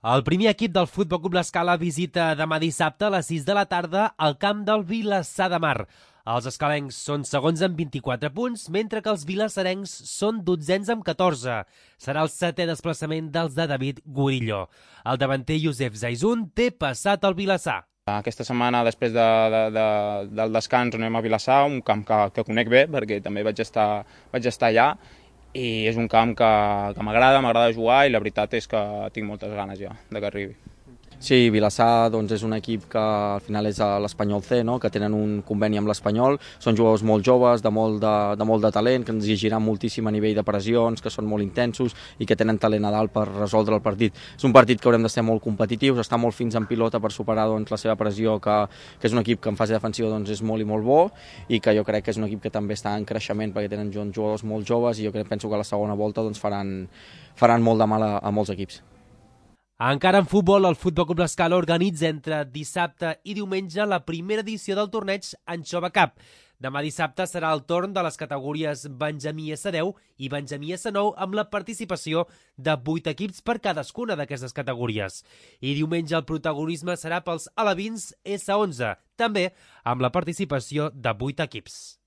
El primer equip del Futbol Club l'Escala visita demà dissabte a les 6 de la tarda al camp del Vilassar de Mar. Els escalencs són segons amb 24 punts, mentre que els vilassarencs són dotzens amb 14. Serà el 7è desplaçament dels de David Gurillo. El davanter Josep Zaizun té passat al Vilassar. Aquesta setmana, després del descans, anem a Vilassar, un camp que conec bé, perquè també vaig estar allà, i és un camp que m'agrada jugar, i la veritat és que tinc moltes ganes ja de que arribi. Sí, Vilassar és un equip que al final és l'Espanyol C, no? Que tenen un conveni amb l'Espanyol, són jugadors molt joves, de molt de talent, que ens exigiran moltíssim a nivell de pressions, que són molt intensos i que tenen talent a dalt per resoldre el partit. És un partit que haurem de ser molt competitius, estar molt fins en pilota per superar la seva pressió, que és un equip que en fase defensiva és molt i molt bo, i que jo crec que és un equip que també està en creixement perquè tenen jugadors molt joves, i jo penso que a la segona volta faran molt de mal a molts equips. Encara en futbol, el Futbol Club l'Escala organitza entre dissabte i diumenge la primera edició del torneig Anxova Cup. Demà dissabte serà el torn de les categories Benjamí S10 i Benjamí S9 amb la participació de 8 equips per cadascuna d'aquestes categories. I diumenge el protagonisme serà pels alevins S11, també amb la participació de 8 equips.